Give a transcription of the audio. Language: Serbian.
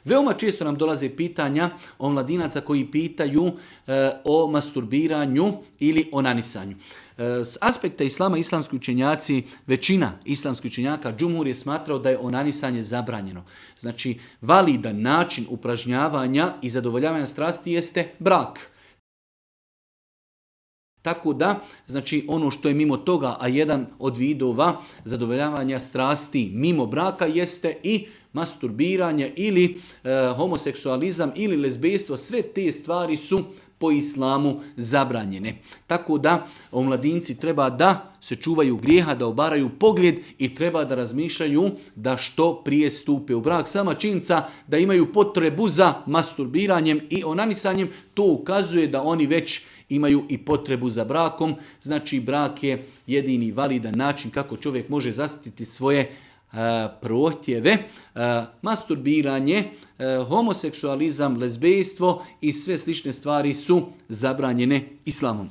Veoma često nam dolaze pitanja o mladinaca koji pitaju o masturbiranju ili onanisanju. S aspekta islama, islamski učenjaci, većina islamskih učenjaka, džumhur je smatrao da je onanisanje zabranjeno. Znači, validan način upražnjavanja i zadovoljavanja strasti jeste brak. Tako da, znači ono što je mimo toga, a jedan od vidova zadovoljavanja strasti mimo braka jeste i masturbiranje ili homoseksualizam ili lezbejstvo, sve te stvari su po islamu zabranjene. Tako da omladinci treba da se čuvaju grijeha, da obaraju pogled i treba da razmišljaju da što prije stupe u brak. Sama činjenica da imaju potrebu za masturbiranjem i onanisanjem, to ukazuje da oni već imaju i potrebu za brakom. Znači brak je jedini validan način kako čovjek može zaštititi svoje prohtjeve. Masturbiranje, homoseksualizam, lezbejstvo i sve slične stvari su zabranjene islamom.